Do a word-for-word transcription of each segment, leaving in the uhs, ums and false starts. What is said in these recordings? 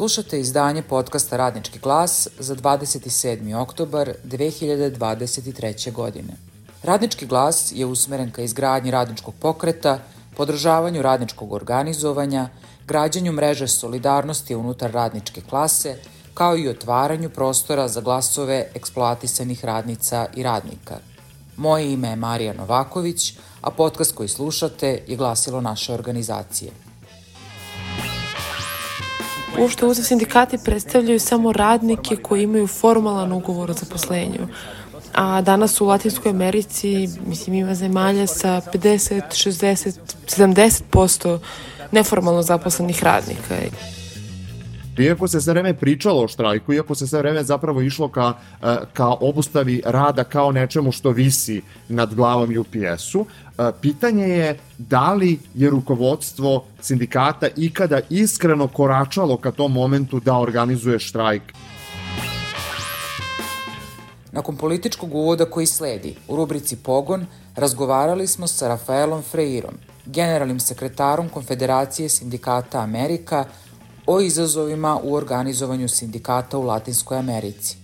Slušate izdanje podcasta Radnički glas za dvadeset sedmi oktobar dve hiljade dvadeset treće. godine. Radnički glas je usmeren ka izgradnji radničkog pokreta, podržavanju radničkog organizovanja, građanju mreže solidarnosti unutar radničke klase, kao i otvaranju prostora za glasove eksploatisanih radnica i radnika. Moje ime je Marija Novaković, a podcast koji slušate je glasilo naše organizacije. Uopšte uze sindikati predstavljaju samo radnike koji imaju formalan ugovor o zaposlenju. A danas u Latinskoj Americi, mislim, ima zemalja sa pedeset, šezdeset, sedamdeset posto neformalno zaposlenih radnika. Iako se sve vreme pričalo o štrajku, iako se sve vreme zapravo išlo ka, ka obustavi rada kao nečemu što visi nad glavom U P S-u, pitanje je da li je rukovodstvo sindikata ikada iskreno koračalo ka tom momentu da organizuje štrajk. Nakon političkog uvoda koji sledi, u rubrici Pogon razgovarali smo sa Rafaelom Freirom, generalnim sekretarom Konfederacije sindikata Amerika, o izazovima u organizovanju sindikata u Latinskoj Americi.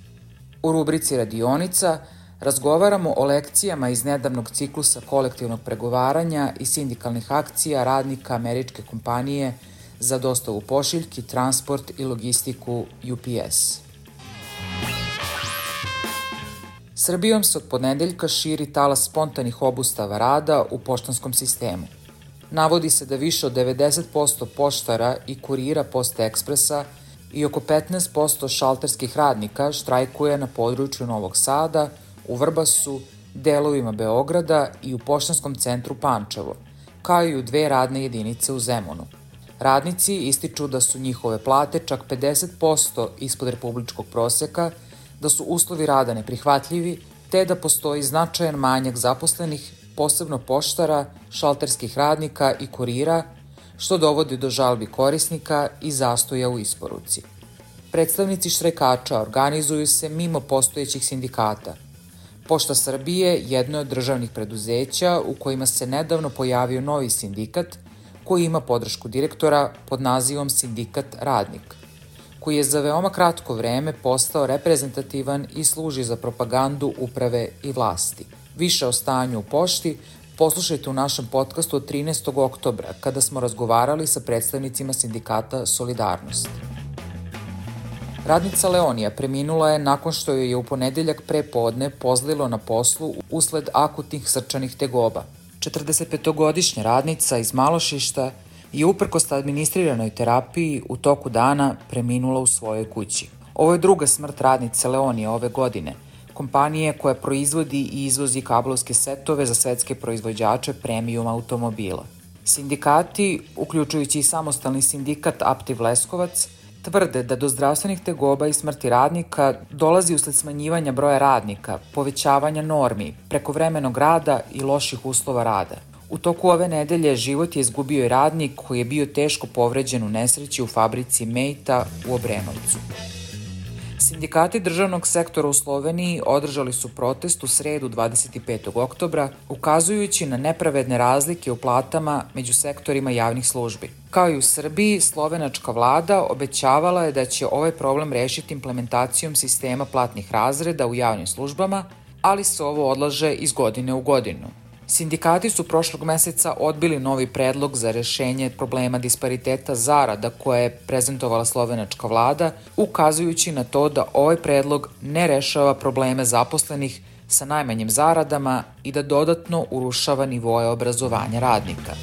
U rubrici Radionica razgovaramo o lekcijama iz nedavnog ciklusa kolektivnog pregovaranja i sindikalnih akcija radnika američke kompanije za dostavu pošiljki, transport i logistiku U P S. Srbijom se od ponedeljka širi talas spontanih obustava rada u poštanskom sistemu. Navodi se da više od devedeset posto poštara i kurira Poste Ekspresa i oko petnaest posto šalterskih radnika štrajkuje na području Novog Sada, u Vrbasu, delovima Beograda i u poštanskom centru Pančevo, kao i u dve radne jedinice u Zemunu. Radnici ističu da su njihove plate čak pedeset posto ispod republičkog proseka, da su uslovi rada neprihvatljivi, te da postoji značajan manjak zaposlenih, posebno poštara, šalterskih radnika i kurira, što dovodi do žalbi korisnika i zastoja u isporuci. Predstavnici štrajkača organizuju se mimo postojećih sindikata. Pošta Srbije jedno je od državnih preduzeća u kojima se nedavno pojavio novi sindikat koji ima podršku direktora pod nazivom Sindikat Radnik, koji je za veoma kratko vreme postao reprezentativan i služi za propagandu uprave i vlasti. Više o stanju u pošti poslušajte u našem podcastu od trinaestog oktobra, kada smo razgovarali sa predstavnicima sindikata Solidarnost. Radnica Leonija preminula je nakon što joj je u ponedeljak pre podne pozlilo na poslu usled akutnih srčanih tegoba. četrdesetpetogodišnja radnica iz Malošišta je uprkos administriranoj terapiji u toku dana preminula u svojoj kući. Ovo je druga smrt radnice Leonije ove godine, kompanije koja proizvodi i izvozi kablovske setove za svetske proizvođače premium automobila. Sindikati, uključujući i samostalni sindikat Aptiv Leskovac, tvrde da do zdravstvenih tegoba i smrti radnika dolazi usled smanjivanja broja radnika, povećavanja normi, prekovremenog rada i loših uslova rada. U toku ove nedelje život je izgubio i radnik koji je bio teško povređen u nesreći u fabrici Mejta u Obrenovcu. Sindikati državnog sektora u Sloveniji održali su protest u sredu dvadeset petog oktobra, ukazujući na nepravedne razlike u platama među sektorima javnih službi. Kao i u Srbiji, slovenačka vlada obećavala je da će ovaj problem rešiti implementacijom sistema platnih razreda u javnim službama, ali se ovo odlaže iz godine u godinu. Sindikati su prošlog meseca odbili novi predlog za rešenje problema dispariteta zarada koje je prezentovala slovenačka vlada, ukazujući na to da ovaj predlog ne rešava probleme zaposlenih sa najmanjim zaradama i da dodatno urušava nivoe obrazovanja radnika.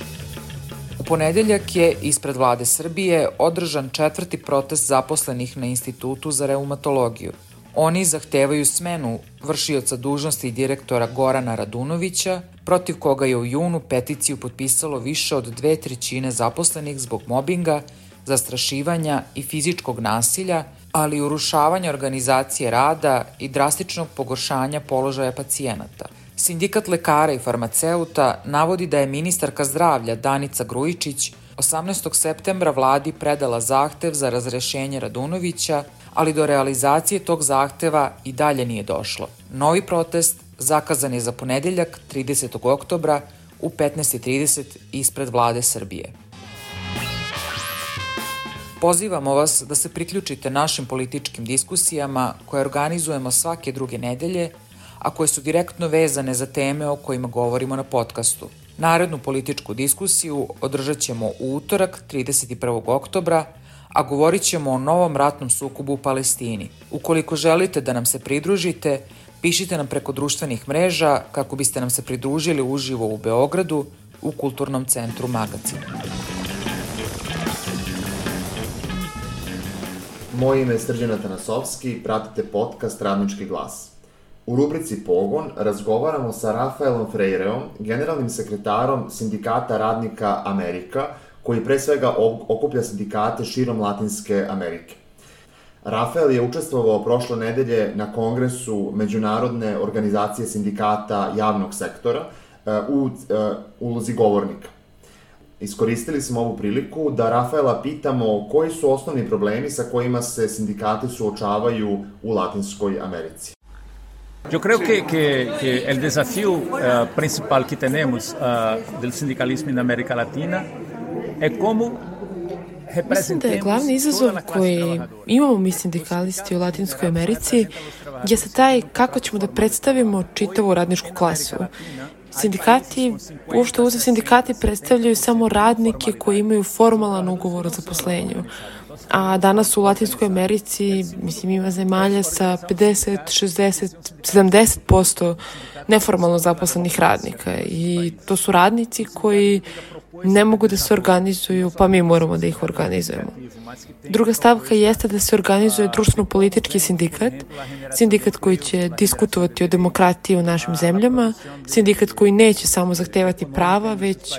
U ponedeljak je ispred vlade Srbije održan četvrti protest zaposlenih na Institutu za reumatologiju. Oni zahtevaju smenu vršioca dužnosti direktora Gorana Radunovića, protiv koga je u junu peticiju potpisalo više od dve trećine zaposlenih zbog mobinga, zastrašivanja i fizičkog nasilja, ali i urušavanja organizacije rada i drastičnog pogoršanja položaja pacijenata. Sindikat lekara i farmaceuta navodi da je ministarka zdravlja Danica Grujičić osamnaestog septembra vladi predala zahtev za razrešenje Radunovića, ali do realizacije tog zahteva i dalje nije došlo. Novi protest zakazan je za ponedeljak tridesetog oktobra u petnaest i trideset ispred vlade Srbije. Pozivamo vas da se priključite našim političkim diskusijama koje organizujemo svake druge nedelje, a koje su direktno vezane za teme o kojima govorimo na podcastu. Narednu političku diskusiju održat ćemo u utorak, trideset prvog oktobra, a govorit ćemo o novom ratnom sukobu u Palestini. Ukoliko želite da nam se pridružite, pišite nam preko društvenih mreža kako biste nam se pridružili uživo u Beogradu u Kulturnom centru Magacin. Moje ime je Srđan Atanasovski, pratite podcast Radnički glas. U rubrici Pogon razgovaramo sa Rafaelom Freireom, generalnim sekretarom Sindikata radnika Amerika, koji pre svega okuplja sindikate širom Latinske Amerike. Rafael je učestvovao prošle nedelje na kongresu Međunarodne organizacije sindikata javnog sektora u ulozi govornika. Iskoristili smo ovu priliku da Rafaela pitamo koji su osnovni problemi sa kojima se sindikati suočavaju u Latinskoj Americi. Yo creo que, que, que el desafío uh, principal que tenemos uh, del sindicalismo en América Latina es cómo Mislim da je glavni izazov koji imamo mi sindikalisti u Latinskoj Americi je sa taj kako ćemo da predstavimo čitavu radničku klasu. Sindikati, uopšte uze sindikati predstavljaju samo radnike koji imaju formalan ugovor o zaposlenju. A danas u Latinskoj Americi, mislim, ima zemalja sa pedeset, šezdeset, sedamdeset posto neformalno zaposlenih radnika. I to su radnici koji ne mogu da se organizuju, pa mi moramo da ih organizujemo. Druga stavka jeste da se organizuje društveno-politički sindikat, sindikat koji će diskutovati o demokratiji u našim zemljama, sindikat koji neće samo zahtevati prava, već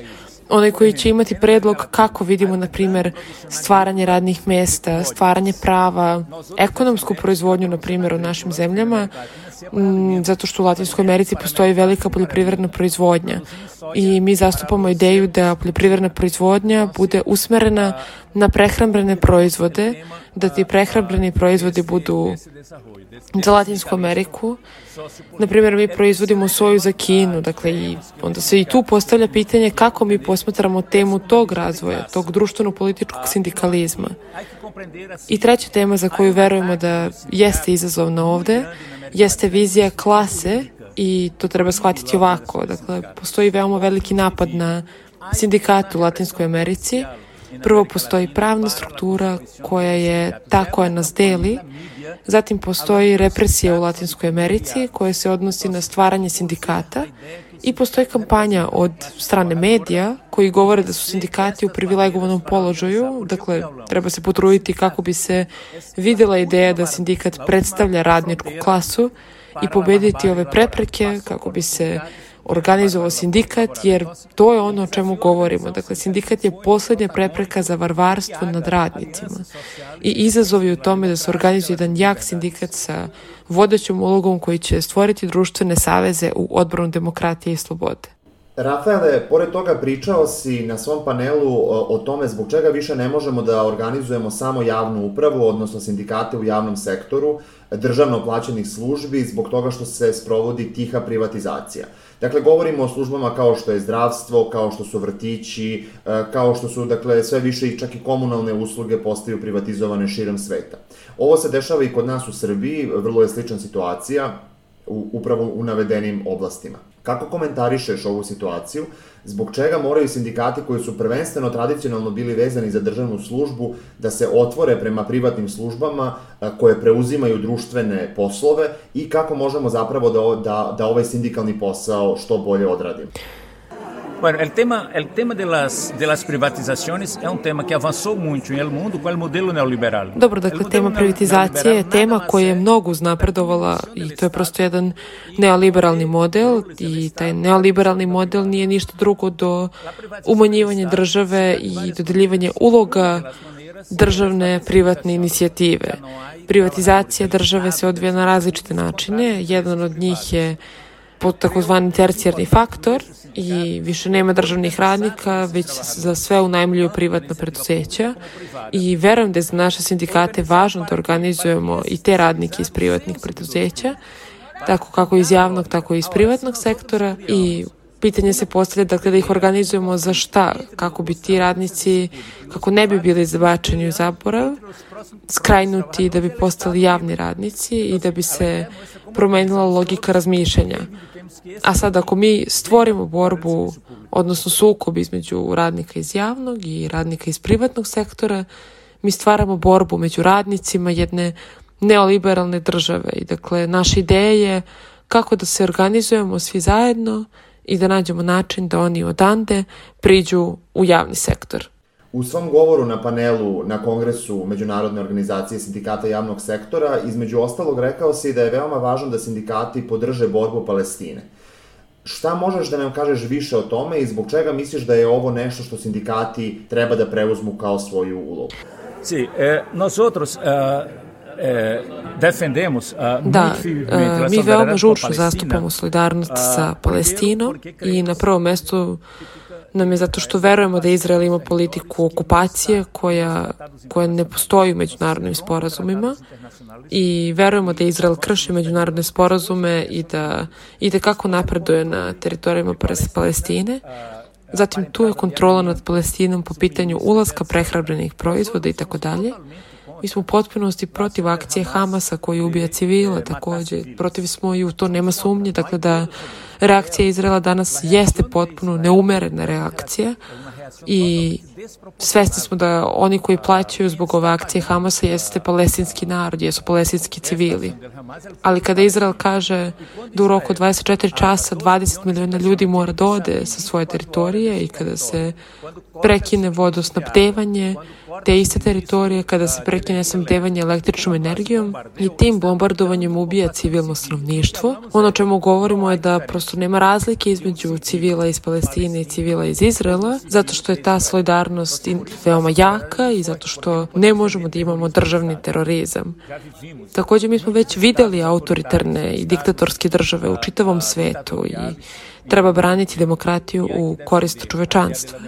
onaj koji će imati predlog kako vidimo, na primjer, stvaranje radnih mesta, stvaranje prava, ekonomsku proizvodnju, na primjer, u našim zemljama, m, zato što u Latinskoj Americi postoji velika poljoprivredna proizvodnja i mi zastupamo ideju da poljoprivredna proizvodnja bude usmerena na prehrambene proizvode, da ti prehrambeni proizvodi budu za Latinsku Ameriku. Naprimjer, mi proizvodimo soju za Kinu, dakle, i onda se i tu postavlja pitanje kako mi posmatramo temu tog razvoja, tog društveno-političkog sindikalizma. I treća tema za koju verujemo da jeste izazovna ovde, jeste vizija klase i to treba shvatiti ovako. Dakle, postoji veoma veliki napad na sindikate u Latinskoj Americi. Prvo postoji pravna struktura koja je ta koja nas deli, zatim postoji represija u Latinskoj Americi koja se odnosi na stvaranje sindikata i postoji kampanja od strane medija koji govore da su sindikati u privilegovanom položaju, dakle treba se potruditi kako bi se videla ideja da sindikat predstavlja radničku klasu i pobediti ove prepreke kako bi se organizovao sindikat, jer to je ono o čemu govorimo. Dakle, sindikat je poslednja prepreka za varvarstvo nad radnicima. I izazov je u tome da se organizuje jedan jak sindikat sa vodećom ulogom koji će stvoriti društvene saveze u odbranu demokratije i slobode. Rafaele, pored toga pričao si na svom panelu o, o tome zbog čega više ne možemo da organizujemo samo javnu upravu, odnosno sindikate u javnom sektoru, državno plaćenih službi, zbog toga što se sprovodi tiha privatizacija. Dakle, govorimo o službama kao što je zdravstvo, kao što su vrtići, kao što su, dakle, sve više i čak i komunalne usluge postaju privatizovane širom sveta. Ovo se dešava i kod nas u Srbiji, vrlo je slična situacija, u, upravo u navedenim oblastima. Kako komentarišeš ovu situaciju? Zbog čega moraju sindikati koji su prvenstveno tradicionalno bili vezani za državnu službu da se otvore prema privatnim službama koje preuzimaju društvene poslove i kako možemo zapravo da, da, da ovaj sindikalni posao što bolje odradimo? Bueno, el tema, el tema de las, de las privatizaciones es un tema que avanzó mucho en el mundo con el modelo neoliberal. Dobro, dakle, tema privatizacije je tema koja je mnogo uznapredovala i to je prosto jedan neoliberalni model i taj neoliberalni model nije ništa drugo do umanjivanja države i dodeljivanje uloga državne privatne inicijative. Privatizacija države se odvija na različite načine. Jedan od njih je pod takozvani tercijarni faktor i više nema državnih radnika, već za sve unajmljuju privatna preduzeća i verujem da je za naše sindikate važno da organizujemo i te radnike iz privatnih preduzeća, tako kako iz javnog, tako i iz privatnog sektora i pitanje se postavlja, dakle, da ih organizujemo za šta, kako bi ti radnici, kako ne bi bili zabačeni u zaborav, skrajnuti da bi postali javni radnici i da bi se promenila logika razmišljanja. A sad, ako mi stvorimo borbu, odnosno sukob između radnika iz javnog i radnika iz privatnog sektora, mi stvaramo borbu među radnicima jedne neoliberalne države. I dakle, naša ideja je kako da se organizujemo svi zajedno i da nađemo način da oni odande priđu u javni sektor. U svom govoru na panelu na Kongresu Međunarodne organizacije sindikata javnog sektora, između ostalog rekao si da je veoma važno da sindikati podrže borbu Palestine. Šta možeš da nam kažeš više o tome i zbog čega misliš da je ovo nešto što sindikati treba da preuzmu kao svoju ulogu? Sí, eh, nosotros uh, eh, defendemos uh, Da, uh, mi veoma žučno zastupamo solidarnost sa Palestinom i na prvom mestu nam je zato što verujemo da Izrael ima politiku okupacije koja, koja ne postoji u međunarodnim sporazumima i verujemo da Izrael krši međunarodne sporazume i da ide kako napreduje na teritorijama Palestine. Zatim tu je kontrola nad Palestinom po pitanju ulaska prehrambenih proizvoda i tako dalje. Mi smo u potpunosti protiv akcije Hamasa koji ubija civile, takođe protiv smo i u to nema sumnje, dakle da reakcija Izraela danas jeste potpuno neumerena reakcija i svesni smo da oni koji plaćaju zbog ove akcije Hamasa jeste palestinski narod, jesu palestinski civili. Ali kada Izrael kaže da u roku dvadeset četiri časa dvadeset miliona ljudi mora da ode sa svoje teritorije i kada se prekine vodosnabdevanje te iste teritorije, kada se prekine snabdevanje električnom energijom i tim bombardovanjem ubija civilno stanovništvo. Ono o čemu govorimo je da prosto nema razlike između civila iz Palestine i civila iz Izraela, zato što je ta solidarnost veoma jaka i zato što ne možemo da imamo državni terorizam. Takođe, mi smo već videli autoritarne i diktatorske države u čitavom svetu i treba braniti demokratiju u korist čovečanstva.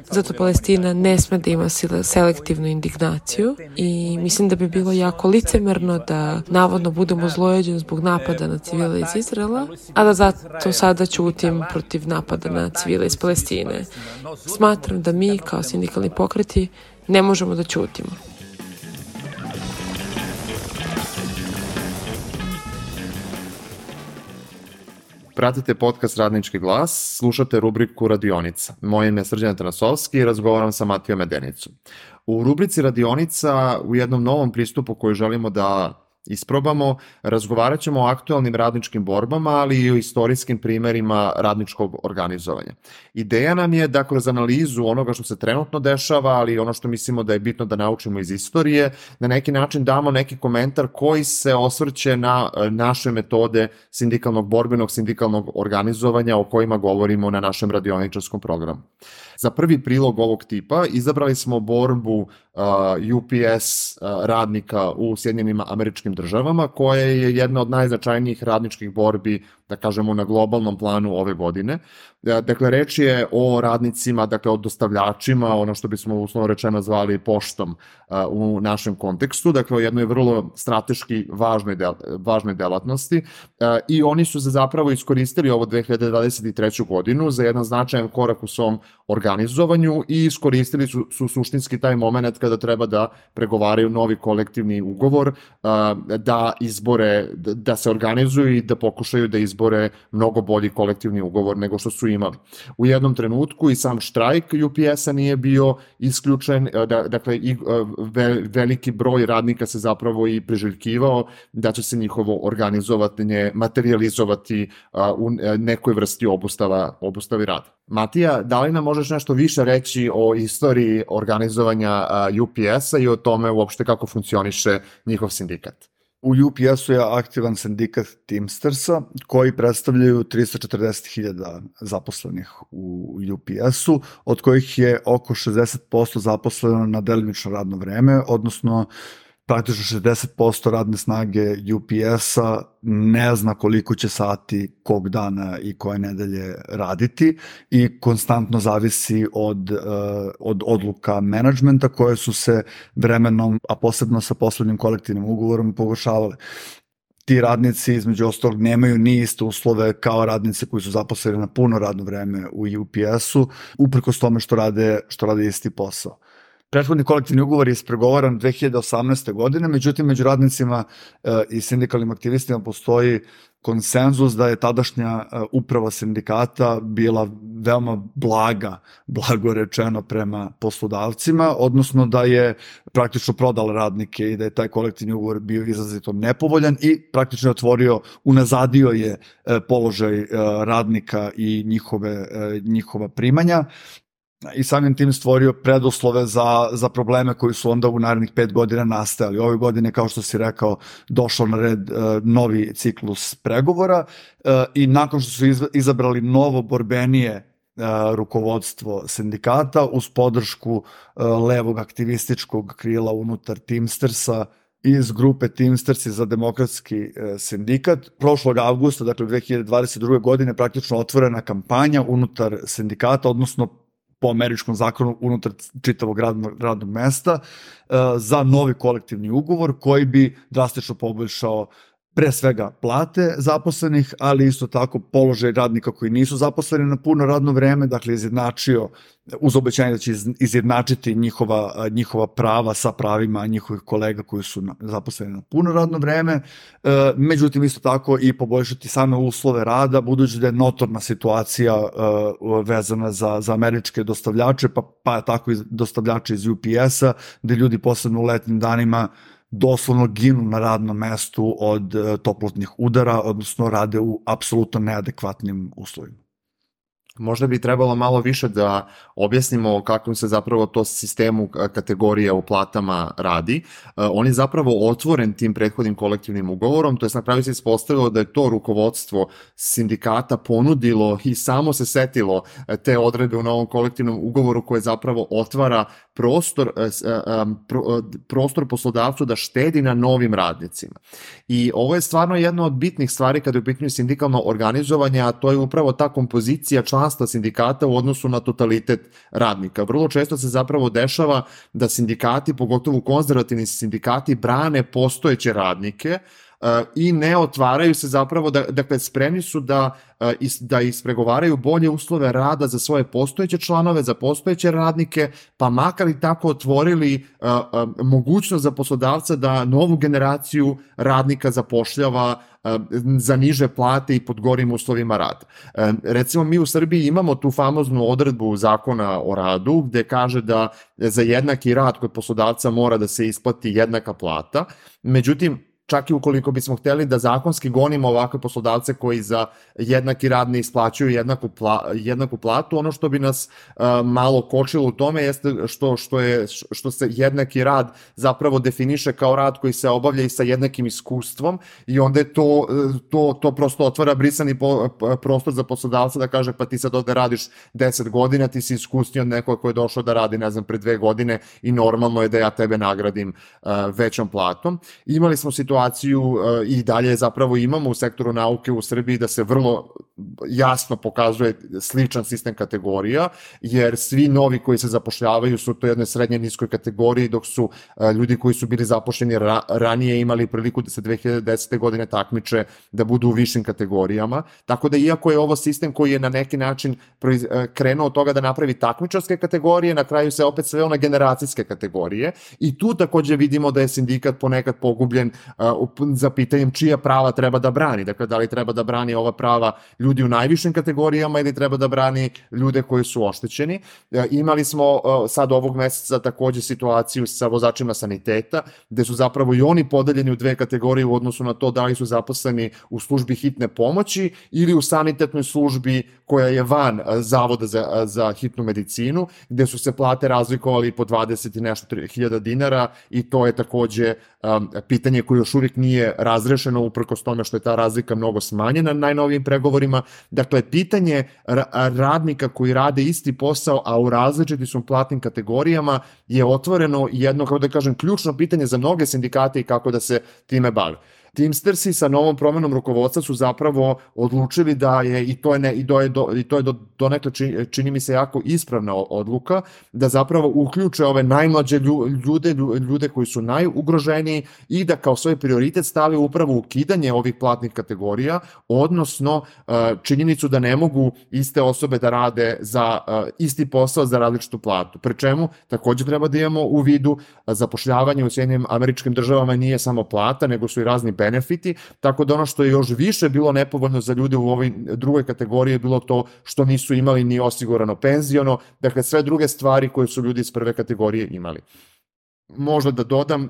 Zato Palestina ne sme da ima selektivnu indignaciju i mislim da bi bilo jako licemerno da navodno budemo zlojeđeni zbog napada na civile iz Izraela, a da zato sada ćutim protiv napada na civile iz Palestine. Smatram da mi kao sindikalni pokreti ne možemo da ćutimo. Pratite podcast Radnički glas, slušate rubriku Radionica. Moje ime je Srđan Tanasovski i razgovaram sa Matijom Medenicom. U rubrici Radionica, u jednom novom pristupu koji želimo da isprobamo, razgovarat ćemo o aktualnim radničkim borbama, ali i o istorijskim primerima radničkog organizovanja. Ideja nam je da kroz analizu onoga što se trenutno dešava, ali i ono što mislimo da je bitno da naučimo iz istorije, na neki način damo neki komentar koji se osvrće na naše metode sindikalnog borbenog, sindikalnog organizovanja o kojima govorimo na našem radioničarskom programu. Za prvi prilog ovog tipa izabrali smo borbu uh, U P S uh, radnika u Sjedinjenim Američkim Državama, koja je jedna od najznačajnijih radničkih borbi, da kažemo, na globalnom planu ove godine. Dakle, reč je o radnicima, dakle, o dostavljačima, ono što bismo uslovno rečeno zvali poštom u našem kontekstu, dakle, o jednoj vrlo strateški važnoj, del, važnoj delatnosti i oni su se zapravo iskoristili ovo dve hiljade dvadeset treću godinu za jedan značajan korak u svom organizovanju i iskoristili su, su suštinski taj moment kada treba da pregovaraju novi kolektivni ugovor, da izbore, da se organizuju i da pokušaju da izbore mnogo bolji kolektivni ugovor nego što su imali. U jednom trenutku i sam štrajk U P S-a nije bio isključen, dakle i veliki broj radnika se zapravo i priželjkivao da će se njihovo organizovanje materializovati u nekoj vrsti obustava, obustavi rada. Matija, da li nam možeš nešto više reći o istoriji organizovanja U P S-a i o tome uopšte kako funkcioniše njihov sindikat? U U P S-u je aktivan sindikat Teamstersa koji predstavljaju tristo četrdeset hiljada zaposlenih u U P S-u, od kojih je oko šezdeset posto zaposleno na delimično radno vreme, odnosno praktično šezdeset posto radne snage U P S-a ne zna koliko će sati kog dana i koje nedelje raditi i konstantno zavisi od, od odluka menadžmenta koje su se vremenom, a posebno sa poslednjim kolektivnim ugovorom, pogoršavale. ti radnici između ostalog nemaju ni iste uslove kao radnici koji su zaposleni na puno radno vreme u U P S-u, uprkos tome što rade, što rade isti posao. Prethodni kolektivni ugovor je ispregovaran dve hiljade osamnaeste. godine, međutim među radnicima e, i sindikalnim aktivistima postoji konsenzus da je tadašnja e, uprava sindikata bila veoma blaga, blago rečeno, prema poslodavcima, odnosno da je praktično prodala radnike i da je taj kolektivni ugovor bio izrazito nepovoljan i praktično je otvorio, unazadio je e, položaj e, radnika i njihove, e, njihova primanja. I samim tim stvorio preduslove za, za probleme koji su onda u narednih pet godina nastajali. Ove godine, kao što si rekao, došao na red uh, novi ciklus pregovora uh, i nakon što su izabrali novo borbenije uh, rukovodstvo sindikata uz podršku uh, levog aktivističkog krila unutar Teamstersa iz grupe Teamstersi za demokratski uh, sindikat. Prošlog avgusta, dakle dve hiljade dvadeset druge. godine, praktično otvorena kampanja unutar sindikata, odnosno po američkom zakonu unutar čitavog radnog, radnog mesta uh, za novi kolektivni ugovor koji bi drastično poboljšao pre svega plate zaposlenih, ali isto tako položaj radnika koji nisu zaposleni na puno radno vreme, dakle izjednačio, uz obećanje da će izjednačiti njihova, njihova prava sa pravima njihovih kolega koji su zaposleni na puno radno vreme, međutim isto tako i poboljšati same uslove rada, budući da je notorna situacija vezana za, za američke dostavljače, pa, pa tako i dostavljače iz U P S-a, gde ljudi posebno u letnim danima doslovno ginu na radnom mestu od toplotnih udara, odnosno rade u apsolutno neadekvatnim uslovima. Možda bi trebalo malo više da objasnimo o kakvom se zapravo to sistemu kategorija u platama radi. On je zapravo otvoren tim prethodnim kolektivnim ugovorom, to je na kraju se ispostavilo da je to rukovodstvo sindikata ponudilo i samo se setilo te odredbe u novom kolektivnom ugovoru koje zapravo otvara prostor, prostor poslodavcu da štedi na novim radnicima. I ovo je stvarno jedna od bitnih stvari kada je u pitanju sindikalno organizovanje, a to je upravo ta kompozicija članstva sindikata u odnosu na totalitet radnika. Vrlo često se zapravo dešava da sindikati, pogotovo konzervativni sindikati, brane postojeće radnike i ne otvaraju se zapravo, da, dakle spremni su da, da ispregovaraju bolje uslove rada za svoje postojeće članove, za postojeće radnike, pa makar i tako otvorili a, a, mogućnost za poslodavca da novu generaciju radnika zapošljava a, za niže plate i pod gorim uslovima rada. A, recimo mi u Srbiji imamo tu famoznu odredbu zakona o radu gde kaže da za jednaki rad kod poslodavca mora da se isplati jednaka plata, međutim čak i ukoliko bismo hteli da zakonski gonimo ovakve poslodavce koji za jednaki rad ne isplaćuju jednaku, pla, jednaku platu, ono što bi nas uh, malo kočilo u tome jeste što, što, je, što se jednaki rad zapravo definiše kao rad koji se obavlja i sa jednakim iskustvom i onda je to, to, to prosto otvara brisani po, prostor za poslodavca da kaže pa ti sad ovde radiš deset godina, ti si iskusniji od nekoga koji je došao da radi, ne znam, pre dve godine i normalno je da ja tebe nagradim uh, većom platom. Imali smo situaciju i dalje zapravo imamo u sektoru nauke u Srbiji da se vrlo jasno pokazuje sličan sistem kategorija, jer svi novi koji se zapošljavaju su to jednoj srednje niskoj kategoriji, dok su ljudi koji su bili zapošljeni ra ranije imali priliku da se dve hiljade desete. godine takmiče da budu u višim kategorijama. Tako da iako je ovo sistem koji je na neki način krenuo od toga da napravi takmičarske kategorije, na kraju se opet sveo na generacijske kategorije i tu takođe vidimo da je sindikat ponekad pogubljen za pitanjem čija prava treba da brani. Dakle, da li treba da brani ova prava ljudi u najvišim kategorijama ili treba da brani ljude koji su oštećeni. Imali smo sad ovog meseca takođe situaciju sa vozačima saniteta, gde su zapravo i oni podeljeni u dve kategorije u odnosu na to da li su zaposleni u službi hitne pomoći ili u sanitetnoj službi koja je van Zavoda za, za hitnu medicinu, gde su se plate razlikovali po dvadeset i nešto hiljada dinara i to je takođe um, pitanje koje još uvijek nije razrešeno uprkos tome što je ta razlika mnogo smanjena na najnovijim pregovorima. Dakle, pitanje radnika koji rade isti posao, a u različitim su platnim kategorijama je otvoreno jedno, kako da kažem, ključno pitanje za mnoge sindikate i kako da se time bave. Teamstersi sa novom promenom rukovodstva su zapravo odlučili da je, i to je, ne, i do, do, i to je do, donekle čini, čini mi se jako ispravna odluka, da zapravo uključe ove najmlađe ljude, ljude koji su najugroženiji i da kao svoj prioritet stave upravo ukidanje ovih platnih kategorija, odnosno činjenicu da ne mogu iste osobe da rade za isti posao za različitu platu. Pri čemu takođe treba da imamo u vidu zapošljavanje u Sjedinjenim Američkim Državama nije samo plata, nego su i razni benefiti, tako da ono što je još više bilo nepovoljno za ljude u ovoj drugoj kategoriji je bilo to što nisu imali ni osigurano penziono, dakle sve druge stvari koje su ljudi iz prve kategorije imali. Možda da dodam, uh,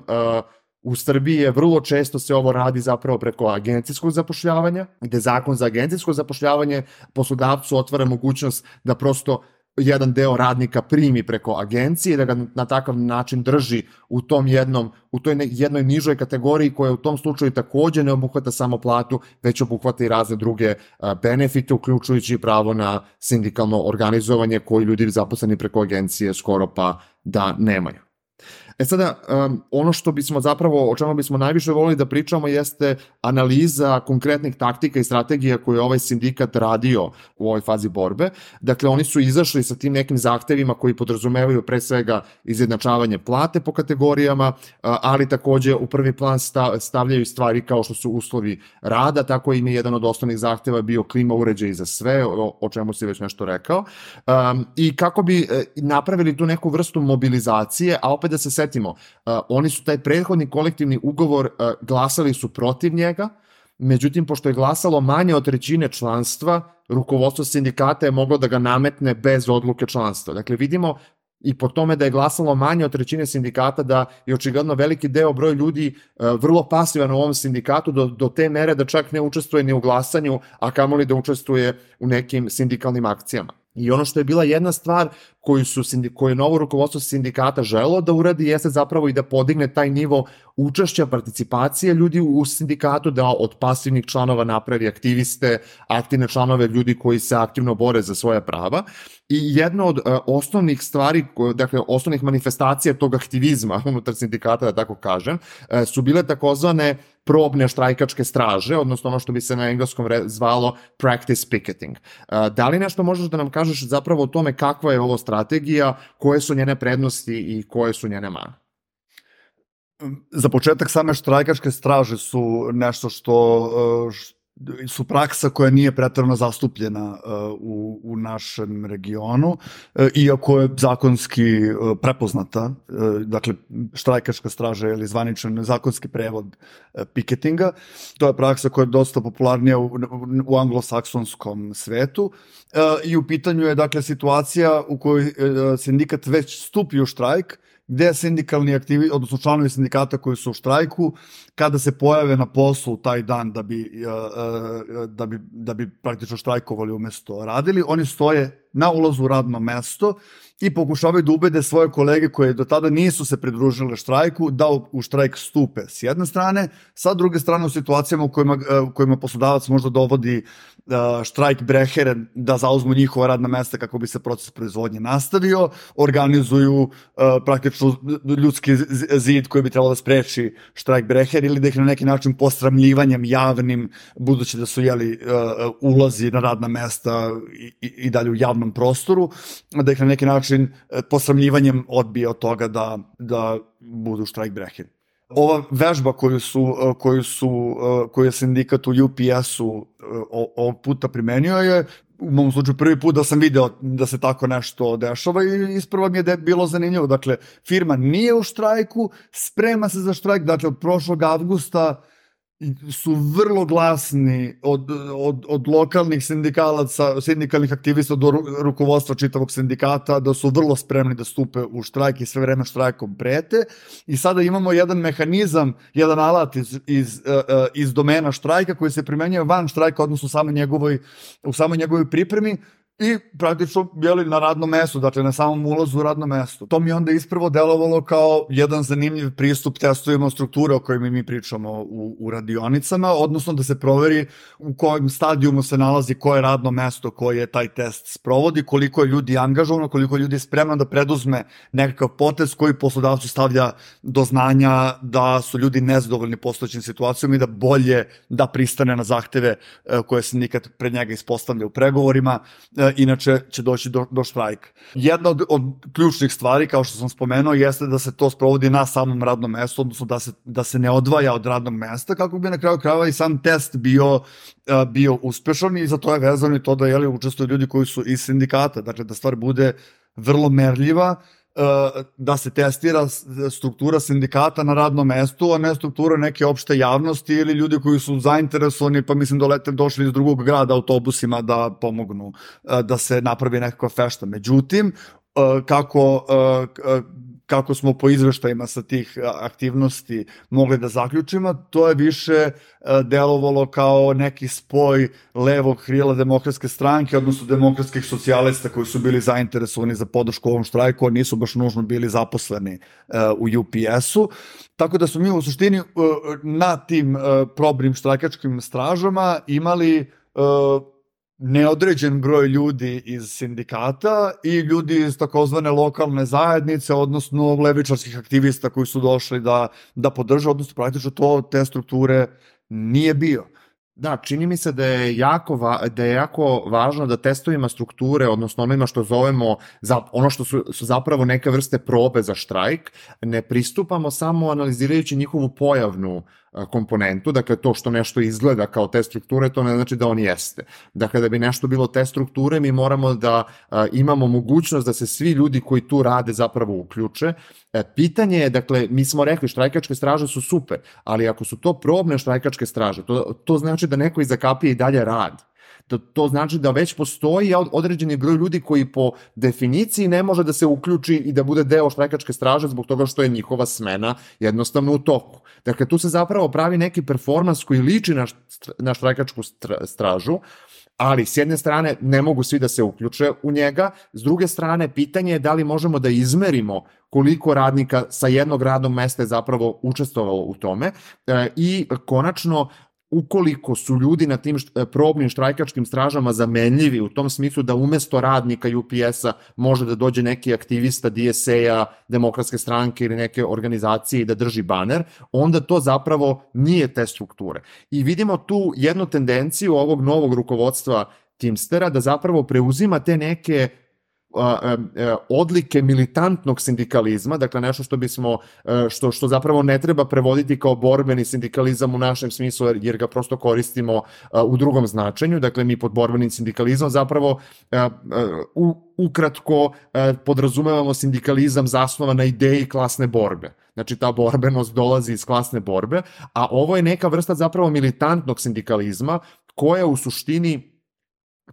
u Srbiji je vrlo često se ovo radi zapravo preko agencijskog zapošljavanja, gde zakon za agencijsko zapošljavanje poslodavcu otvara mogućnost da prosto jedan deo radnika primi preko agencije, da ga na takav način drži u tom jednom, u toj jednoj nižoj kategoriji koja u tom slučaju takođe ne obuhvata samo platu, već obuhvata i razne druge benefite, uključujući pravo na sindikalno organizovanje koji ljudi zaposleni preko agencije skoro pa da nemaju. E sada, um, ono što bismo zapravo, o čemu bismo najviše volili da pričamo jeste analiza konkretnih taktika i strategija koje je ovaj sindikat radio u ovoj fazi borbe. Dakle, oni su izašli sa tim nekim zahtevima koji podrazumevaju pre svega izjednačavanje plate po kategorijama, ali takođe u prvi plan stavljaju stvari kao što su uslovi rada, tako im je jedan od osnovnih zahteva bio klima uređaj za sve, o, o čemu si već nešto rekao. Um, I kako bi napravili tu neku vrstu mobilizacije, a opet da se setimo, Uh, oni su taj prethodni kolektivni ugovor uh, glasali su protiv njega, međutim, pošto je glasalo manje od trećine članstva, rukovodstvo sindikata je moglo da ga nametne bez odluke članstva. Dakle, vidimo i po tome da je glasalo manje od trećine sindikata, da je očigledno veliki deo broj ljudi uh, vrlo pasivan u ovom sindikatu do, do te mere da čak ne učestvuje ni u glasanju, a kamoli da učestvuje u nekim sindikalnim akcijama. I ono što je bila jedna stvar koju, su, koju je novo rukovodstvo sindikata želelo da uradi jeste zapravo i da podigne taj nivo učešća, participacije ljudi u sindikatu, da od pasivnih članova napravi aktiviste, aktivne članove, ljudi koji se aktivno bore za svoja prava. I jedna od uh, osnovnih stvari, dakle osnovnih manifestacija tog aktivizma unutar sindikata, da tako kažem, uh, su bile takozvane probne štrajkačke straže, odnosno ono što bi se na engleskom zvalo practice picketing. Uh, da li nešto možeš da nam kažeš zapravo o tome kakva je ovo strategija, koje su njene prednosti i koje su njene mane? Za početak, same štrajkačke straže su nešto što, što su praksa koja nije preterano zastupljena uh, u, u našem regionu, uh, iako je zakonski uh, prepoznata, uh, dakle štrajkačka straža ili zvaničan zakonski prevod uh, piketinga. To je praksa koja je dosta popularnija u, u anglosaksonskom svetu uh, i u pitanju je dakle situacija u kojoj uh, sindikat već stupi u štrajk, gde sindikalni aktivi, odnosno članovi sindikata koji su u štrajku, kada se pojave na poslu taj dan da bi, da bi, da bi praktično štrajkovali umesto radili, oni stoje na ulazu u radno mesto i pokušavaju da ubede svoje kolege koje do tada nisu se pridružile štrajku da u štrajk stupe s jedne strane, sa druge strane u situacijama u kojima, u kojima poslodavac možda dovodi štrajk brehere da zauzmu njihova radna mesta kako bi se proces proizvodnje nastavio, organizuju praktično ljudski zid koji bi trebalo da spreči štrajk breher ili da ih na neki način posramljivanjem javnim, budući da su jeli ulazi na radna mesta i, i dalje u javnom prostoru, da ih na neki način posramljivanjem odbije od toga da, da budu štrajk breheri. Ova vežba koju su, koju su, koju je sindikat u U P S-u ovog puta primenio je, u mom slučaju prvi put da sam video da se tako nešto dešava i isprva mi je bilo zanimljivo. Dakle, firma nije u štrajku, sprema se za štrajk, dakle od prošlog avgusta su vrlo glasni od, od, od lokalnih sindikalaca, sindikalnih aktivista do rukovodstva čitavog sindikata, da su vrlo spremni da stupe u štrajk i sve vreme štrajkom prete. I sada imamo jedan mehanizam, jedan alat iz, iz, iz domena štrajka koji se primenjuje van štrajka, odnosno u samoj njegovoj, u samoj njegovoj pripremi, i praktično bili na radnom mestu, dakle na samom ulazu u radno mesto. To mi onda isprvo delovalo kao jedan zanimljiv pristup testovima strukture o kojima mi pričamo u, u radionicama, odnosno da se proveri u kojem stadijumu se nalazi koje radno mesto koje taj test sprovodi, koliko je ljudi angažovano, koliko je ljudi spremno da preduzme nekakav potez koji poslodavcu stavlja do znanja da su ljudi nezadovoljni postojećim situacijom i da bolje da pristane na zahteve koje se nikad pred njega ispostavlja u pregovorima, inače će doći do, do štrajka. Jedna od, od ključnih stvari, kao što sam spomenuo, jeste da se to sprovodi na samom radnom mestu, odnosno da se, da se ne odvaja od radnog mesta, kako bi na kraju krajeva i sam test bio, bio uspešan, i za to je vezano i to da jeli, učestvuju ljudi koji su iz sindikata, dakle da stvar bude vrlo merljiva, da se testira struktura sindikata na radnom mestu, a ne struktura neke opšte javnosti ili ljudi koji su zainteresovani, pa mislim dolete došli iz drugog grada autobusima da pomognu da se napravi nekakva fešta. Međutim, kako kako smo po izveštajima sa tih aktivnosti mogli da zaključimo, to je više delovalo kao neki spoj levog krila Demokratske stranke, odnosno demokratskih socijalista koji su bili zainteresovani za podršku ovom štrajku, a nisu baš nužno bili zaposleni u U P S-u. Tako da smo mi u suštini na tim probnim štrajkačkim stražama imali neodređen broj ljudi iz sindikata i ljudi iz takozvane lokalne zajednice, odnosno levičarskih aktivista koji su došli da, da podrže, odnosno praktično to te strukture nije bio. Da, čini mi se da je jako, va, da je jako važno da testovima strukture, odnosno onima što zovemo, za, ono što su, su zapravo neke vrste probe za štrajk, ne pristupamo samo analizirajući njihovu pojavnu komponentu, dakle to što nešto izgleda kao test strukture, to ne znači da on jeste. Dakle, da bi nešto bilo test strukture, mi moramo da a, imamo mogućnost da se svi ljudi koji tu rade zapravo uključe. E, pitanje je, dakle, mi smo rekli štrajkačke straže su super, ali ako su to probne štrajkačke straže, to, to znači da neko iza kapije i dalje radi. To, to znači da već postoji određeni broj ljudi koji po definiciji ne može da se uključi i da bude deo štrajkačke straže zbog toga što je njihova smena jednostavno u toku. Dakle, tu se zapravo pravi neki performans koji liči na, na štrajkačku stražu, ali s jedne strane ne mogu svi da se uključe u njega, s druge strane pitanje je da li možemo da izmerimo koliko radnika sa jednog radnog mesta je zapravo učestvovalo u tome e, i konačno ukoliko su ljudi na tim probnim štrajkačkim stražama zamenljivi u tom smislu da umesto radnika U P S-a može da dođe neki aktivista D S A-a, Demokratske stranke ili neke organizacije i da drži baner, onda to zapravo nije test strukture. I vidimo tu jednu tendenciju ovog novog rukovodstva Teamstera da zapravo preuzima te neke odlike militantnog sindikalizma, dakle nešto što bismo, što, što zapravo ne treba prevoditi kao borbeni sindikalizam u našem smislu, jer ga prosto koristimo u drugom značenju, dakle mi pod borbenim sindikalizmom zapravo u, ukratko podrazumevamo sindikalizam zasnovan na ideji klasne borbe. Znači ta borbenost dolazi iz klasne borbe, a ovo je neka vrsta zapravo militantnog sindikalizma koja u suštini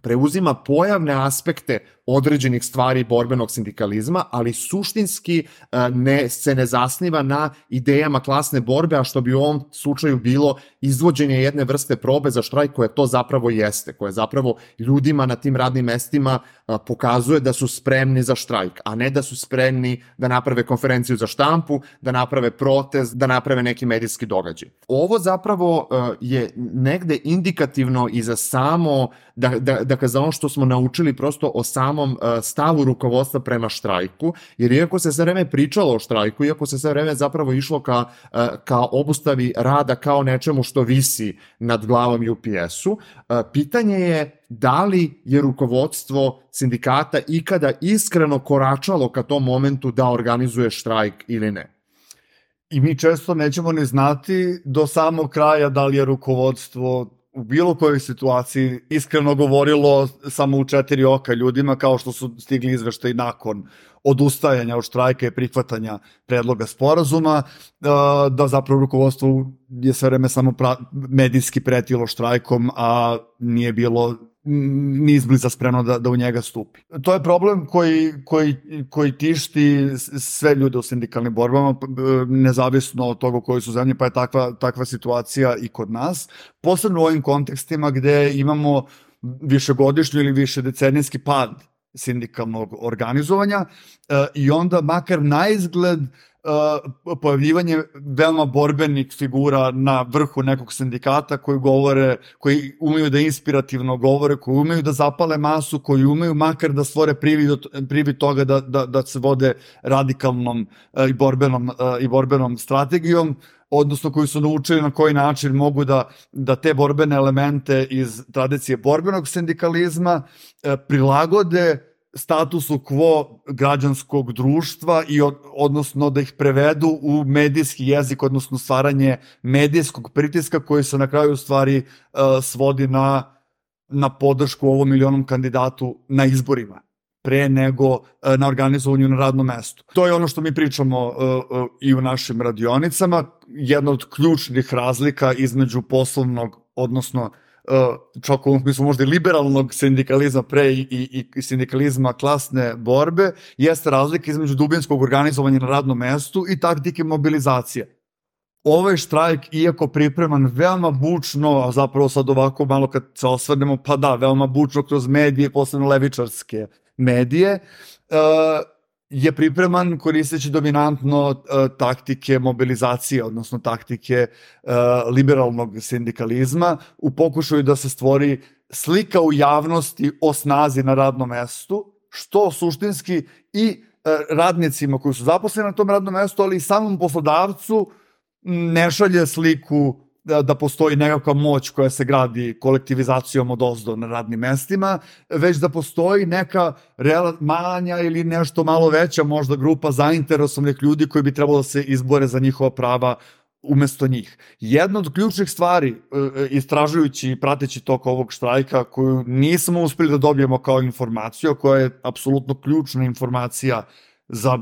preuzima pojavne aspekte određenih stvari borbenog sindikalizma, ali suštinski ne, se ne zasniva na idejama klasne borbe, a što bi u ovom slučaju bilo izvođenje jedne vrste probe za štrajk koje to zapravo jeste, koje zapravo ljudima na tim radnim mestima pokazuje da su spremni za štrajk, a ne da su spremni da naprave konferenciju za štampu, da naprave protest, da naprave neki medijski događaj. Ovo zapravo je negde indikativno i za samo, da, da, dakle za ono što smo naučili prosto o samom stavu rukovodstva prema štrajku, jer iako se sve vreme pričalo o štrajku, iako se sve vreme zapravo išlo ka, ka obustavi rada kao nečemu što visi nad glavom U P S-u, pitanje je da li je rukovodstvo sindikata ikada iskreno koračalo ka tom momentu da organizuje štrajk ili ne. I mi često nećemo ni znati do samog kraja da li je rukovodstvo u bilo kojoj situaciji iskreno govorilo samo u četiri oka ljudima, kao što su stigli izveštaji nakon odustajanja od štrajka i prihvatanja predloga sporazuma, da zapravo rukovodstvo je sve vreme samo medijski pretilo štrajkom, a nije bilo ni izbliza spremno da, da u njega stupi. To je problem koji, koji, koji tišti sve ljude u sindikalnim borbama, nezavisno od toga u kojoj su zemlji, pa je takva, takva situacija i kod nas. Posebno u ovim kontekstima gde imamo višegodišnji ili višedecenijski pad sindikalnog organizovanja i onda makar na izgled pojavljivanje veoma borbenih figura na vrhu nekog sindikata koji govore, koji umeju da inspirativno govore, koji umeju da zapale masu, koji umeju makar da stvore privid, privid toga da, da, da se vode radikalnom i borbenom, i borbenom strategijom, odnosno koji su naučili na koji način mogu da, da te borbene elemente iz tradicije borbenog sindikalizma prilagode statusu quo građanskog društva i od, odnosno da ih prevedu u medijski jezik, odnosno stvaranje medijskog pritiska koji se na kraju u stvari uh, svodi na, na podršku ovom milionom kandidatu na izborima pre nego uh, na organizovanju na radnom mestu. To je ono što mi pričamo uh, uh, i u našim radionicama. Jedna od ključnih razlika između poslovnog, odnosno čak u ovom smislu možda i liberalnog sindikalizma pre i, i, i sindikalizma klasne borbe, jeste razlika između dubinskog organizovanja na radnom mestu i taktike mobilizacije. Ovaj štrajk, iako pripreman veoma bučno, a zapravo sad ovako malo kad se osvrnemo, pa da, veoma bučno kroz medije, posebno levičarske medije, uh, je pripreman koristeći dominantno uh, taktike mobilizacije, odnosno taktike uh, liberalnog sindikalizma u pokušaju da se stvori slika u javnosti o snazi na radnom mestu, što suštinski i uh, radnicima koji su zaposleni na tom radnom mestu, ali i samom poslodavcu ne šalje sliku da, da postoji nekakva moć koja se gradi kolektivizacijom od ozdo na radnim mestima, već da postoji neka real, manja ili nešto malo veća možda grupa zainteresovanih ljudi koji bi trebalo da se izbore za njihova prava umesto njih. Jedna od ključnih stvari, istražujući i prateći tok ovog štrajka, koju nismo uspeli da dobijemo kao informaciju, koja je apsolutno ključna informacija za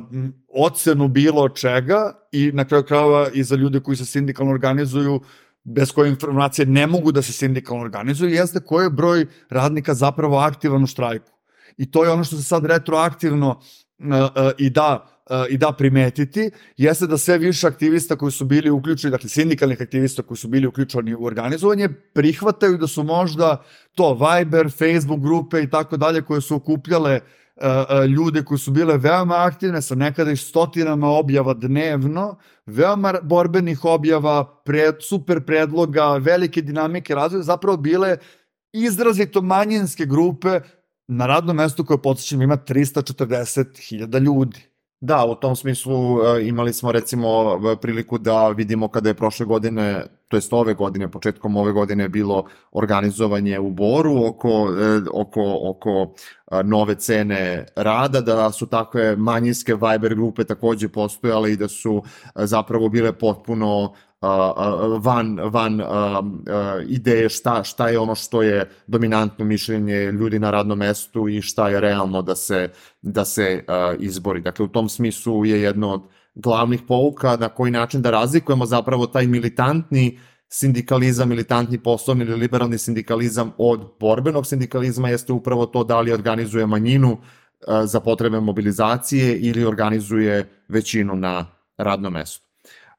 ocenu bilo čega i na kraju krajeva i za ljude koji se sindikalno organizuju, bez koje informacije ne mogu da se sindikalno organizuju, jeste koji je broj radnika zapravo aktivan u štrajku. I to je ono što se sad retroaktivno uh, uh, i da uh, i da primetiti, jeste da sve više aktivista koji su bili uključeni, dakle sindikalnih aktivista koji su bili uključeni u organizovanje, prihvataju da su možda to Viber, Facebook grupe i tako dalje koje su okupljale ljude koji su bile veoma aktivne sa nekada i stotinama objava dnevno, veoma borbenih objava, pred, super predloga, velike dinamike razvoja, zapravo bile izrazito manjinske grupe na radnom mestu koje, podsjećam, ima trista četrdeset hiljada ljudi. Da, u tom smislu imali smo recimo priliku da vidimo kada je prošle godine, to jest ove godine, početkom ove godine bilo organizovanje u Boru oko, oko, oko nove cene rada, da su takve manjinske Viber grupe takođe postojale i da su zapravo bile potpuno van, van ideje šta, šta je ono što je dominantno mišljenje ljudi na radnom mestu i šta je realno da se, da se izbori. Dakle, u tom smislu je jedno od glavnih pouka na koji način da razlikujemo zapravo taj militantni sindikalizam, militantni poslovni ili liberalni sindikalizam od borbenog sindikalizma, jeste upravo to da li organizuje manjinu za potrebe mobilizacije ili organizuje većinu na radnom mestu.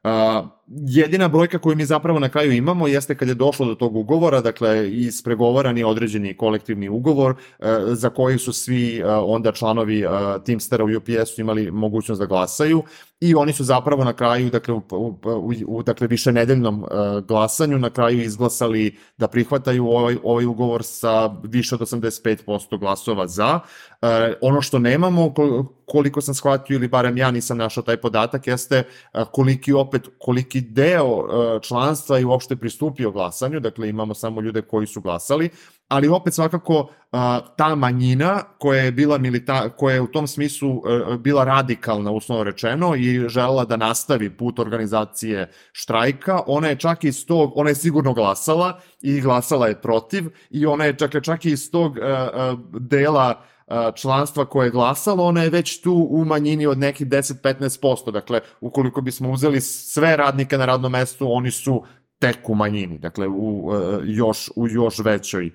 Uh, jedina brojka koju mi zapravo na kraju imamo jeste kad je došlo do tog ugovora, dakle ispregovaran je određeni kolektivni ugovor uh, za koji su svi uh, onda članovi uh, Teamstera u U P S-u imali mogućnost da glasaju i oni su zapravo na kraju, dakle u, u, u, u dakle višenedeljnom uh, glasanju na kraju izglasali da prihvataju ovaj, ovaj ugovor sa više od osamdeset pet posto glasova za. Uh, ono što nemamo, koliko sam shvatio ili barem ja nisam našao taj podatak, jeste uh, koliki opet, koliki deo članstva i uopšte pristupio glasanju, dakle imamo samo ljude koji su glasali, ali opet svakako ta manjina koja je bila milita, koja je u tom smislu bila radikalna, uslovno rečeno, i želela da nastavi put organizacije štrajka, ona je čak iz tog, ona je sigurno glasala i glasala je protiv i ona je čak, čak i iz tog dela članstva koje je glasalo, ona je već tu u manjini od nekih deset do petnaest posto. Dakle, ukoliko bismo uzeli sve radnike na radnom mestu, oni su tek u manjini, dakle u još, u još većoj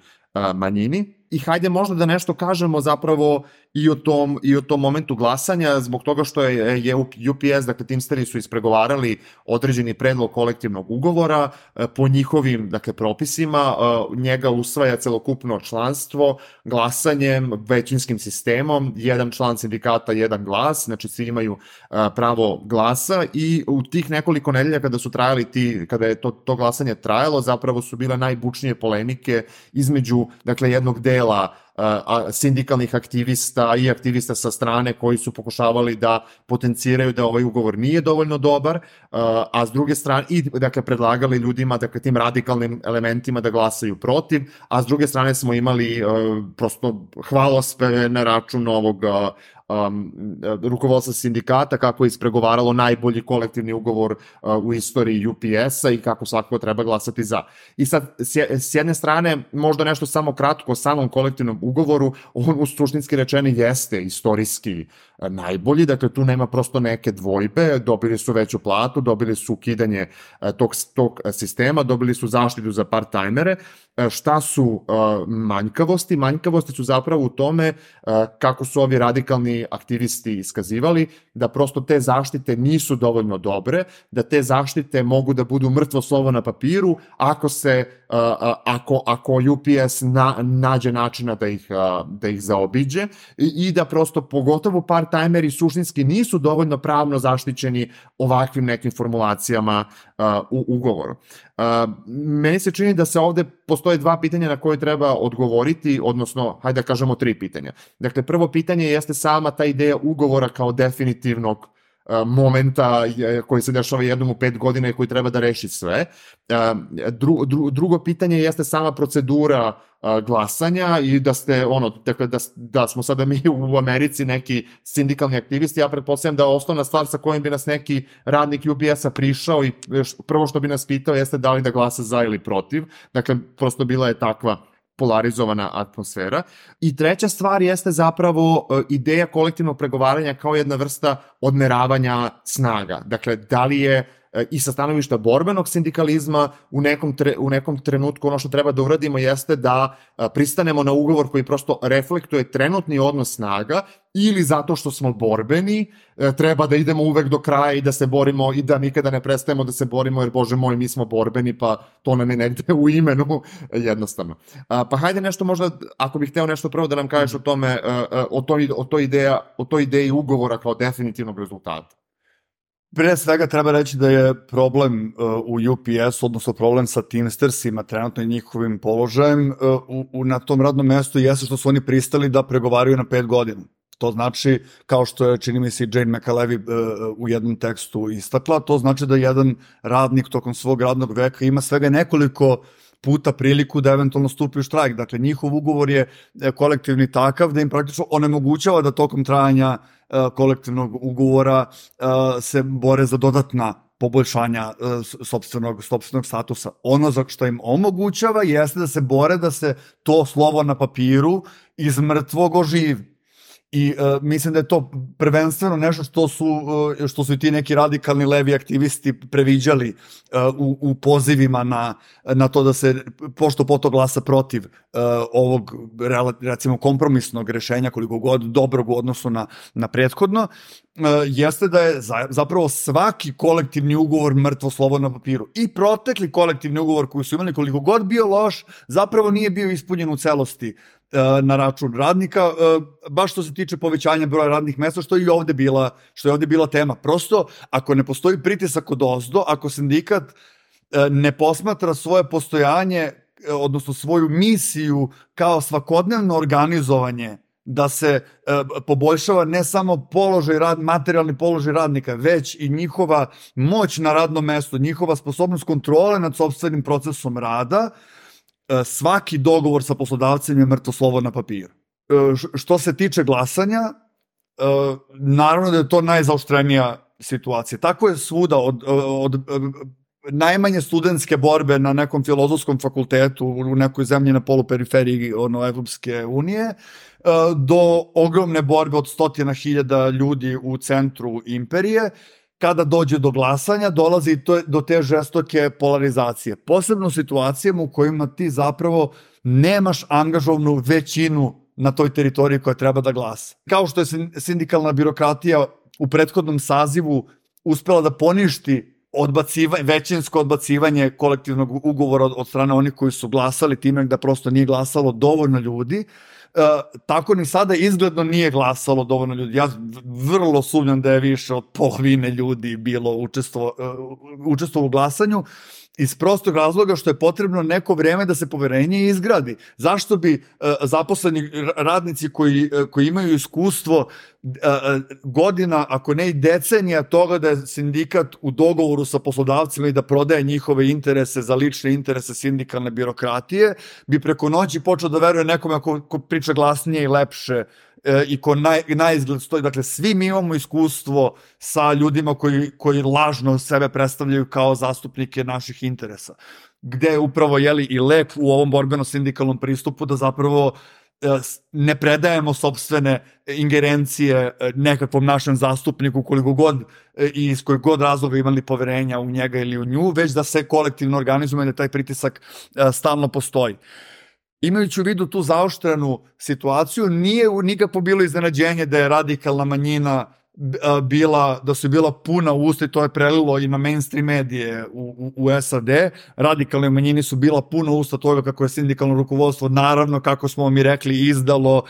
manjini. i hajde možda da nešto kažemo zapravo i o tom, i o tom momentu glasanja, zbog toga što je, je U P S, dakle Teamsteri su ispregovarali određeni predlog kolektivnog ugovora po njihovim, dakle, propisima, njega usvaja celokupno članstvo glasanjem, većinskim sistemom, jedan član sindikata, jedan glas, znači svi imaju pravo glasa i u tih nekoliko nedelja kada su trajali ti, kada je to, to glasanje trajalo, zapravo su bile najbučnije polemike između, dakle, jednog dela sindikalnih aktivista i aktivista sa strane koji su pokušavali da potenciraju da ovaj ugovor nije dovoljno dobar, a s druge strane, i dakle predlagali ljudima, dakle tim radikalnim elementima da glasaju protiv, a s druge strane smo imali prosto hvalospeve na račun ovog Um, rukovodstva sindikata, kako je ispregovaralo najbolji kolektivni ugovor uh, u istoriji U P S-a i kako svakako treba glasati za. I sad, s jedne strane, možda nešto samo kratko o samom kolektivnom ugovoru, on u suštinski rečeni jeste istorijski uh, najbolji, dakle tu nema prosto neke dvojbe, dobili su veću platu, dobili su ukidanje uh, tog, tog sistema, dobili su zaštitu za part-timere. Uh, šta su uh, manjkavosti? Manjkavosti su zapravo u tome uh, kako su ovi radikalni aktivisti iskazivali, da prosto te zaštite nisu dovoljno dobre, da te zaštite mogu da budu mrtvo slovo na papiru ako se, uh, ako, ako U P S na, nađe načina da ih, uh, da ih zaobiđe i, i da prosto pogotovo part-timeri suštinski nisu dovoljno pravno zaštićeni ovakvim nekim formulacijama uh, u ugovoru. Uh, meni se čini da se ovde postoje dva pitanja na koje treba odgovoriti, odnosno, hajde da kažemo tri pitanja. Dakle, prvo pitanje jeste sama ta ideja ugovora kao definitivnog uh, momenta koji se dešava jednom u pet godina i koji treba da reši sve. Uh, dru, dru, drugo pitanje jeste sama procedura uh, glasanja i da ste, ono, dakle, da, da smo sada mi u Americi neki sindikalni aktivisti, ja pretpostavljam da osnovna stvar sa kojim bi nas neki radnik U P S-a prišao i prvo što bi nas pitao jeste da li da glasa za ili protiv. Dakle, prosto bila je takva polarizovana atmosfera. I treća stvar jeste zapravo ideja kolektivnog pregovaranja kao jedna vrsta odmeravanja snaga. Dakle, da li je i sa stanovišta borbenog sindikalizma u nekom, tre, u nekom trenutku ono što treba da uradimo jeste da pristanemo na ugovor koji prosto reflektuje trenutni odnos snaga, ili zato što smo borbeni treba da idemo uvek do kraja i da se borimo i da nikada ne prestajemo da se borimo, jer Bože moj, mi smo borbeni, pa to nam je negde u imenu, jednostavno. Pa hajde nešto možda, ako bih hteo nešto prvo da nam kažeš o tome, o toj, o toj, ideja, o toj ideji ugovora kao definitivnog rezultata. Pre svega treba reći da je problem uh, u U P S-u, odnosno problem sa Teamstersima, trenutno i njihovim položajem, uh, u, u, na tom radnom mestu jeste što su oni pristali da pregovaraju na pet godina. To znači, kao što je, čini mi se, Jane McAlevey uh, u jednom tekstu istakla, to znači da jedan radnik tokom svog radnog veka ima svega nekoliko puta priliku da eventualno stupi u štrajk. Dakle, njihov ugovor je kolektivni takav da im praktično onemogućava da tokom trajanja uh, kolektivnog ugovora uh, se bore za dodatna poboljšanja uh, sopstvenog, sopstvenog statusa. Ono za što im omogućava jeste da se bore da se to slovo na papiru iz mrtvog oživi. I uh, mislim da je to prvenstveno nešto što su, uh, što su i ti neki radikalni levi aktivisti previđali uh, u, u pozivima na, na to da se pošto poto glasa protiv uh, ovog recimo kompromisnog rešenja, koliko god dobrog u odnosu na, na prethodno, uh, jeste da je za, zapravo svaki kolektivni ugovor mrtvo slovo na papiru. I protekli kolektivni ugovor koji su imali, koliko god bio loš, zapravo nije bio ispunjen u celosti na račun radnika, baš što se tiče povećanja broja radnih mesta, što je i ovde bila, što je ovde bila tema. Prosto, ako ne postoji pritisak od ozdo, ako sindikat ne posmatra svoje postojanje, odnosno svoju misiju kao svakodnevno organizovanje da se poboljšava ne samo položaj rad, materijalni položaj radnika, već i njihova moć na radnom mestu, njihova sposobnost kontrole nad sopstvenim procesom rada, svaki dogovor sa poslodavcem je mrtvo slovo na papiru. Što se tiče glasanja, naravno da je to najzaoštrenija situacija. Tako je svuda od, od, od najmanje studentske borbe na nekom filozofskom fakultetu u nekoj zemlji na poluperiferiji ono, Evropske unije, do ogromne borbe od stotina hiljada ljudi u centru imperije. Kada dođe do glasanja, dolazi to do te žestoke polarizacije. Posebno u situacijama u kojima ti zapravo nemaš angažovanu većinu na toj teritoriji koja treba da glasa. Kao što je sindikalna birokratija u prethodnom sazivu uspela da poništi odbacivanje, većinsko odbacivanje kolektivnog ugovora od, od strane onih koji su glasali time da prosto nije glasalo dovoljno ljudi, e, tako ni sada izgledno nije glasalo dovoljno ljudi. Ja vrlo sumnjam da je više od polovine ljudi bilo učestvo, učestvo u glasanju, iz prostog razloga što je potrebno neko vreme da se poverenje izgradi. Zašto bi uh, zaposleni radnici koji, uh, koji imaju iskustvo uh, godina, ako ne i decenija toga da je sindikat u dogovoru sa poslodavcima i da prodaje njihove interese za lične interese sindikalne birokratije, bi preko noći počeo da veruje nekome ko, ko priča glasnije i lepše i ko naj, najizgled stoji. Dakle, svi mi imamo iskustvo sa ljudima koji, koji lažno sebe predstavljaju kao zastupnike naših interesa, gde je upravo jeli, i lek u ovom borbeno-sindikalnom pristupu da zapravo ne predajemo sopstvene ingerencije nekakvom našem zastupniku koliko god i iz kojeg god razloga imali poverenja u njega ili u nju, već da se kolektivno organizujemo i da taj pritisak stalno postoji. Imajući u vidu tu zaoštrenu situaciju, nije nikakvo bilo iznenađenje da je radikalna manjina bila, da su bila puna usta i to je prelilo i na mainstream medije u, u, u S A D. Radikalne manjini su bila puna usta toga kako je sindikalno rukovodstvo, naravno, kako smo mi rekli, izdalo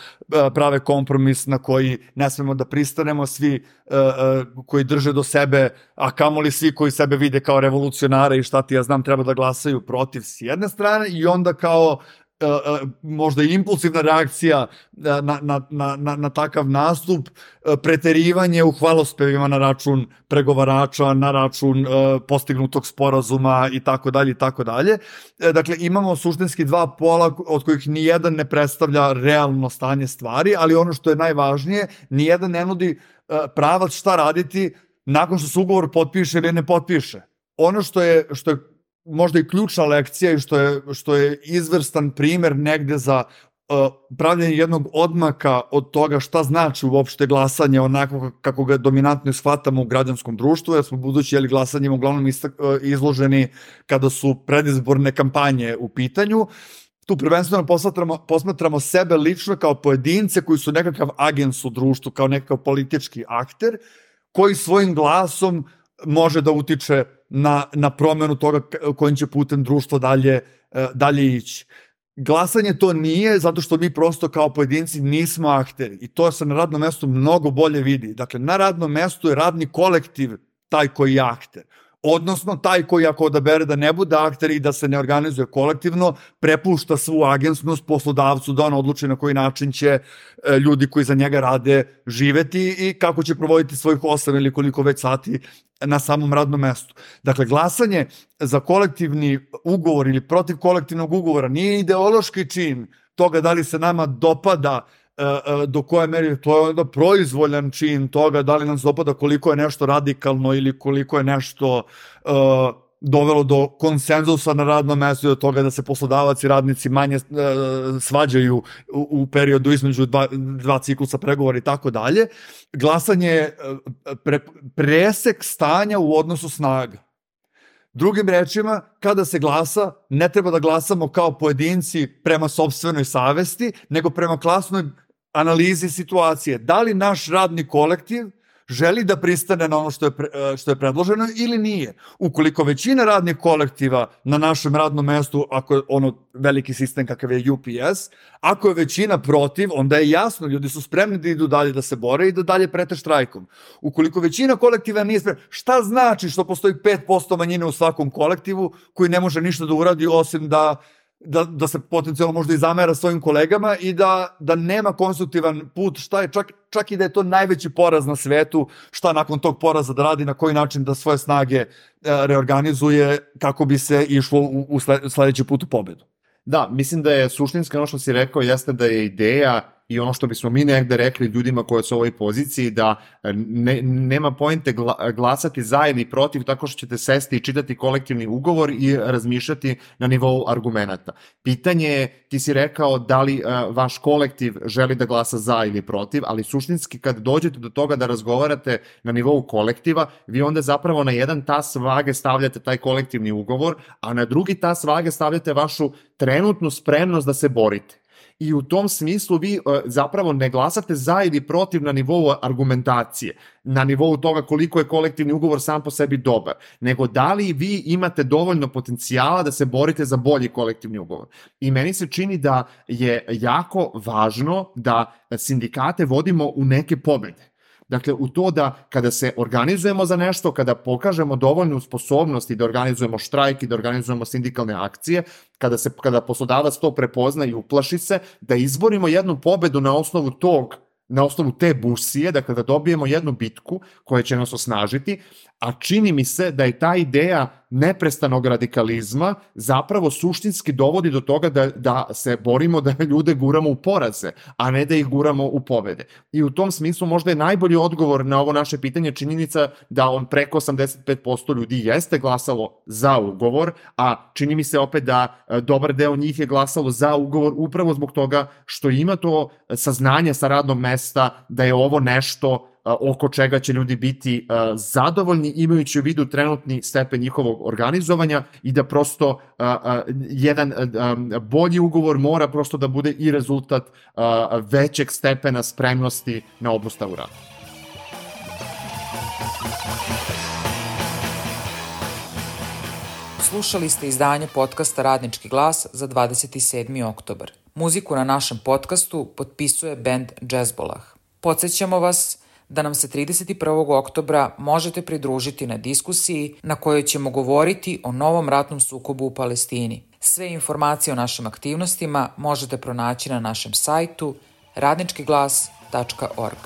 prave kompromis na koji ne smemo da pristanemo, svi uh, koji drže do sebe, a kamoli svi koji sebe vide kao revolucionare i šta ti ja znam treba da glasaju protiv s jedne strane, i onda kao Uh, uh, možda i impulsivna reakcija na, na, na, na, na takav nastup, uh, preterivanje u hvalospevima na račun pregovarača, na račun uh, postignutog sporazuma i tako dalje i tako dalje. Dakle, imamo suštinski dva pola od kojih nijedan ne predstavlja realno stanje stvari, ali ono što je najvažnije, nijedan ne nudi uh, pravac šta raditi nakon što se ugovor potpiše ili ne potpiše. Ono što je, što je možda i ključna lekcija i što je, što je izvrstan primer negde za uh, pravljanje jednog odmaka od toga šta znači uopšte glasanje onako kako ga dominantno shvatamo u građanskom društvu, jer smo budući jeli glasanjem uglavnom izloženi kada su predizborne kampanje u pitanju. Tu prvenstveno posmatramo, posmatramo sebe lično kao pojedince koji su nekakav agens u društvu, kao nekakav politički akter koji svojim glasom može da utiče na, na promenu toga kojim će putem društvo dalje, dalje ići. Glasanje to nije, zato što mi prosto kao pojedinci nismo akteri i to se na radnom mestu mnogo bolje vidi. Dakle, na radnom mestu je radni kolektiv taj koji je akter. Odnosno, taj koji ako odabere da ne bude akter i da se ne organizuje kolektivno, prepušta svu agensnost poslodavcu da on odluči na koji način će ljudi koji za njega rade živeti i kako će provoditi svojih osam ili koliko već sati na samom radnom mestu. Dakle, glasanje za kolektivni ugovor ili protiv kolektivnog ugovora nije ideološki čin toga da li se nama dopada do koje meri, to je onda proizvoljan čin toga da li nam se dopada koliko je nešto radikalno ili koliko je nešto uh, dovelo do konsenzusa na radnom mestu i do toga da se poslodavac i radnici manje uh, svađaju u, u periodu između dva, dva ciklusa pregovora i tako dalje. Glasanje je pre, presek stanja u odnosu snaga. Drugim rečima, kada se glasa, ne treba da glasamo kao pojedinci prema sopstvenoj savesti, nego prema klasnoj analizi situacije. Da li naš radni kolektiv želi da pristane na ono što je, pre, što je predloženo ili nije. Ukoliko većina radnih kolektiva na našem radnom mestu, ako je ono veliki sistem kakav je U P S, ako je većina protiv, onda je jasno, ljudi su spremni da idu dalje da se bore i da dalje prete štrajkom. Ukoliko većina kolektiva nije spremna, šta znači što postoji pet posto manjine u svakom kolektivu koji ne može ništa da uradi osim da Da, da se potencijalno možda i zamera svojim kolegama i da, da nema konstruktivan put, šta je, čak, čak i da je to najveći poraz na svetu, šta nakon tog poraza da radi, na koji način da svoje snage e, reorganizuje kako bi se išlo u, u sledeći put u pobedu. Da, mislim da je suštinski ono što si rekao jeste da je ideja i ono što bismo mi negde rekli ljudima koji su u ovoj poziciji, da ne, nema poente gla, glasati za ili protiv tako što ćete sesti i čitati kolektivni ugovor i razmišljati na nivou argumenata. Pitanje je, ti si rekao da li uh, vaš kolektiv želi da glasa za ili protiv, ali suštinski kad dođete do toga da razgovarate na nivou kolektiva, vi onda zapravo na jedan tas vage stavljate taj kolektivni ugovor, a na drugi tas vage stavljate vašu trenutnu spremnost da se borite. I u tom smislu vi uh, zapravo ne glasate za ili protiv na nivou argumentacije, na nivou toga koliko je kolektivni ugovor sam po sebi dobar, nego da li vi imate dovoljno potencijala da se borite za bolji kolektivni ugovor. I meni se čini da je jako važno da sindikate vodimo u neke pobede. Dakle, u to da kada se organizujemo za nešto, kada pokažemo dovoljnu sposobnost i da organizujemo štrajk i da organizujemo sindikalne akcije, kada, se, kada poslodavac to prepozna i uplaši se, da izborimo jednu pobedu na osnovu tog, na osnovu te busije, dakle da dobijemo jednu bitku koja će nas osnažiti, a čini mi se da je ta ideja neprestanog radikalizma zapravo suštinski dovodi do toga da, da se borimo da ljude guramo u poraze, a ne da ih guramo u pobede. I u tom smislu možda je najbolji odgovor na ovo naše pitanje činjenica da on preko osamdeset pet posto ljudi jeste glasalo za ugovor, a čini mi se opet da dobar deo njih je glasalo za ugovor upravo zbog toga što ima to saznanje sa radnog mesta da je ovo nešto oko čega će ljudi biti uh, zadovoljni imajući u vidu trenutni stepen njihovog organizovanja i da prosto uh, uh, jedan uh, um, bolji ugovor mora prosto da bude i rezultat uh, većeg stepena spremnosti na obustavu rada. Slušali ste izdanje podcasta Radnički glas za dvadeset sedmi oktobar. Muziku na našem podcastu potpisuje bend Džezbolah. Podsećamo vas da nam se trideset prvog oktobra možete pridružiti na diskusiji na kojoj ćemo govoriti o novom ratnom sukobu u Palestini. Sve informacije o našim aktivnostima možete pronaći na našem sajtu radnički glas tačka org.